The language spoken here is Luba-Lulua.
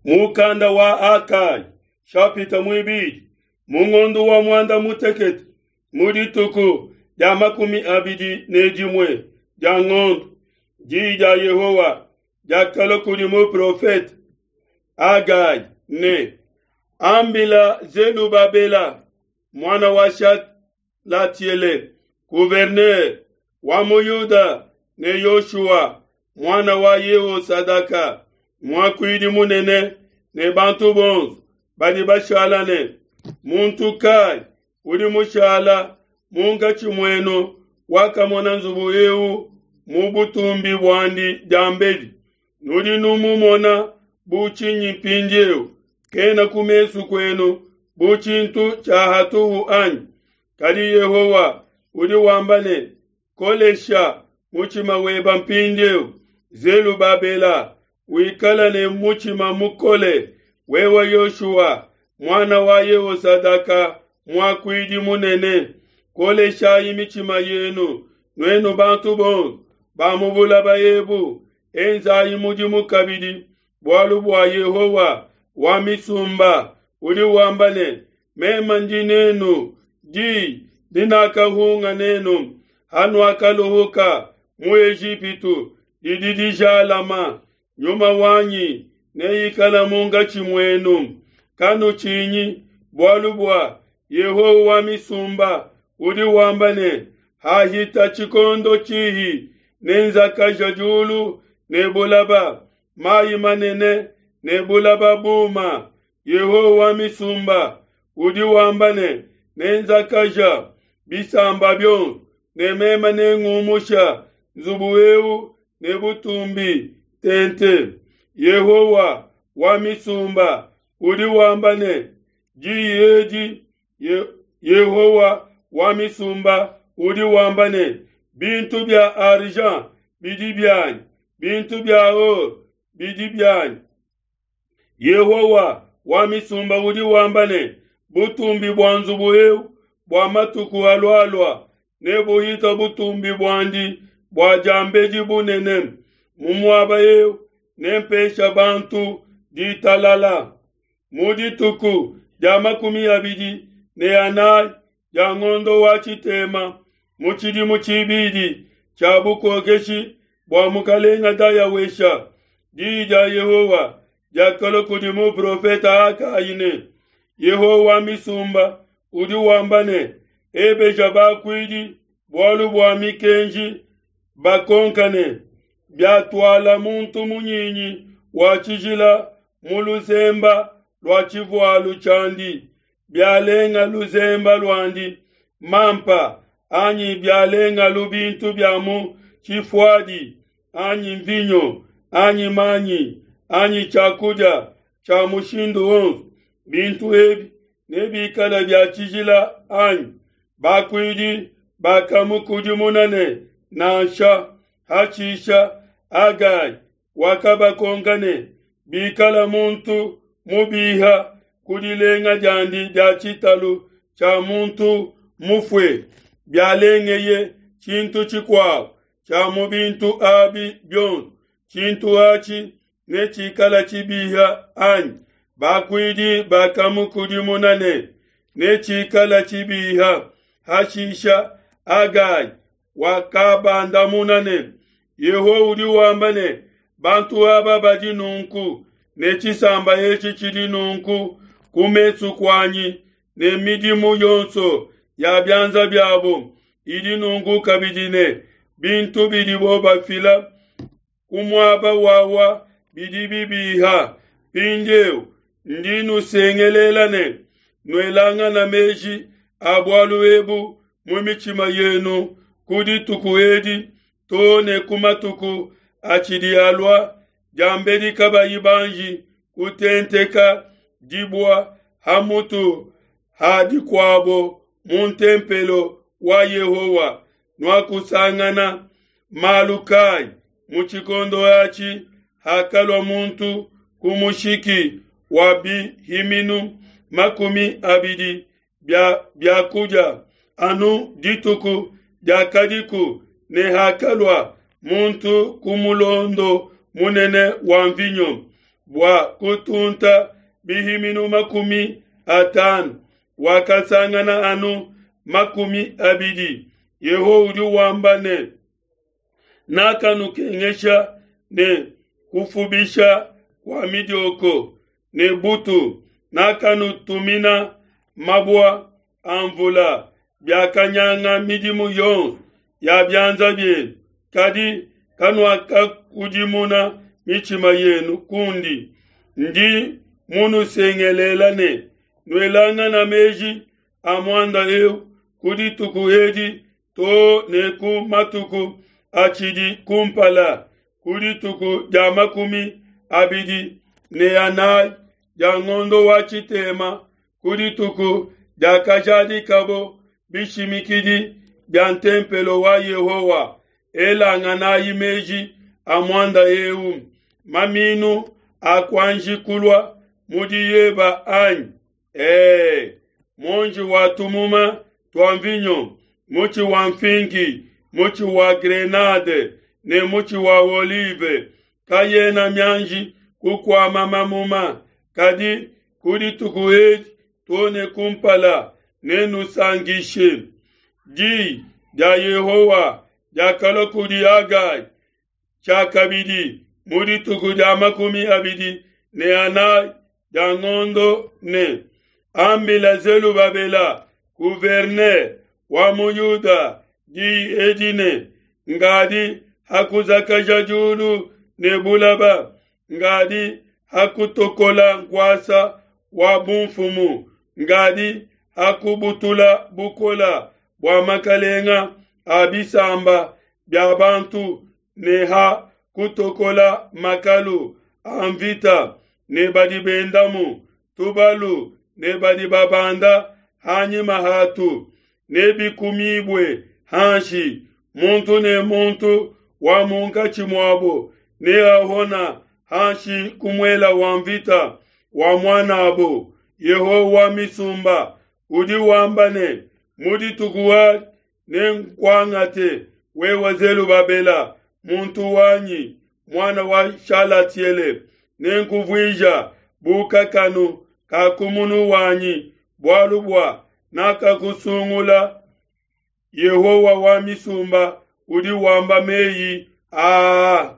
Mukanda wa Hagai, shapita muibidi, mu ngondo wa muanda mutekete, mu dituku dia 21 dia ngondo, diyi dia Yehowa diakalua kudi muprofete Hagai ne, Ambila Zelubabela muana wa Shalatiele, gouverneur wa mu Yuda ne Yoshua muana wa Yehosadaka, muakuidi munene ne bantu bonso badi bashala ne, Muntu kai udi mushala munkatshi muenu wakamona nzubu eu mu butumbi buandi diambedi? Nudi numumona bu tshinyi mpindieu? Kena ku mesu kuenu bu tshintu tshia hatuhu anyi? Kadi Yehowa udi wamba ne, Kolesha mutshima weba mpindieu, Zelubabela, wikala ne mutshima mukole, wewe Yoshua, muana wa Yehosadaka, muakuidi munene. Koleshayi mitshima yenu, nuenu bantu bonso ba mu bulaba ebu, enzayi mudimu kabidi, bualu bua Yehowa wa misumba udi wamba ne, Meme ndi nenu, di dinakahunga nenu hanuakaluhuka mu Ejipitu didi dijalama. Nyuma wanyi neikala munkatshi muenu. Kanutshinyi, bualu bua Yehowa wa misumba udi wamba ne, Hahita tshikondo tshihi, nenzakaja diulu ne bulaba, mai manene ne bulaba buma. Yehowa wa misumba udi wamba ne, Nenzakaja bisamba bionso, ne meme nengumusha nzubu eu ne butumbi tente. Yehowa wa misumba udi wamba ne, Diyi edi Yehowa wa misumba udi wamba ne, Bintu bia argent bidi bianyi, bintu bia or bidi bianyi. Yehowa wa misumba udi wamba ne, Butumbi bua nzubu eu bua matuku alualua nebuhite butumbi buandi bua diambedi bunene. Mu muaba eu nempesha bantu ditalala. Mu dituku dia 24 dia ngondo wa tshitema, mu tshidimu tshibidi tshia bukokeshi bua mukalenga Dayawesha, diyi dia Yehowa diakalua kudi muprofete Hagai ne, Yehowa wa misumba udi wamba ne, Ebeja bakuidi bualu bua mikenji, bakonka ne, Biatuala muntu munyinyi wa tshijila mu luzemba lua tshivualu tshiandi, bialenga luzemba luandi mampa anyi bialengalu bintu bia mu tshifuadi anyi mvinyo anyi manyi anyi tshiakudia tshia mushindu wonso, bintu ebi nebikale bia tshijila anyi? Bakuidi bakamukudimuna ne, Nansha. Hashisha Hagai wakabakonka ne, Bikala muntu mubiha ku dilenga diandi dia tshitalu tshia muntu mufue, bialengeye tshintu tshikuabo tshia mu bintu abi bionso, tshintu atshi netshikala tshibiha anyi? Bakuidi bakamukudimuna ne, Netshikala tshibiha. Hashisha Hagai wakabandamuna ne, Yehowa udi wamba ne, Bantu aba badi nunku, ne tshisamba etshi tshidi nunku ku mesu kuanyi, ne midimu yonso ya bianza biabo idi nunku kabidi, ne bintu bidibo bafila ku muaba wawa bidi bibiha. Mpindieu ndi nusengelela ne, Nuelangana meji a bualu ebu mu mitshima yenu ku dituku edi too ne ku matuku atshidi alua, diambedi kabayi banji kutenteka dibua ha mutu ha dikuabo mu ntempelo wa Yehowa. Nuakusangana malu kai mu tshikondo atshi hakalua muntu ku mushiki wa bihiminu 20 bia biakudia anu dituku diakadiku, ne hakalua muntu ku mulondo munene wa mvinyo? bua kutunta bihiminu 50, wakasangana anu 20. Yehowa udi wamba ne, Nakanukengesha ne kufubisha kua midioko ne butu, nakanutumina mabua a mvula, biakanyanga midimu yonso ya bianza bienu, kadi kanuakakudimuna mitshima yenu kundi. Ndi munusengelela ne, Nuelangana meji a muanda eu ku dituku edi too ne ku matuku atshidi kumpala, ku dituku dia 24 dia ngondo wa tshitema, ku dituku diakajadikabo bishimikidi bia ntempelo wa Yehowa. Elanganayi meji a muanda eu. Maminu akuanji kulua mu diyeba anyi? Ee, muonji wa tumuma tua mvinyo, mutshi wa mfinki, mutshi wa grenade ne mutshi wa olive kayena mianji kukuama mamuma, kadi ku dituku edi too ne kumpala nenusankishe. Diyi dia Yehowa diakalua kudi Hagai tshiakabidi mu dituku dia 24 dia ngondo ne, Ambila Zelubabela gouverneur wa mu Yuda diyi edi ne, Ngadi hakuzakaja diulu ne bulaba, ngadi hakutokola nkuasa wa bumfumu, ngadi hakubutula bukola bua makalenga a bisamba bia bantu ne ha kutokola makalu a mvita ne badi bendamu, tubalu ne badi babanda hanyima hatu, nebikumibue hanshi, muntu ne muntu wa munkatshi muabo neahona hanshi ku muela wa mvita wa muan'abo. Yehowa wa misumba udi wamba ne, Mu dituku adi nenkuangate, wewe Zelubabela, muntu wanyi, muana wa Shalatiele, nenkuvuija bu kakanu ka ku munu wanyi, bualu bua nakakusungula. Yehowa wa misumba udi wamba meyi aa.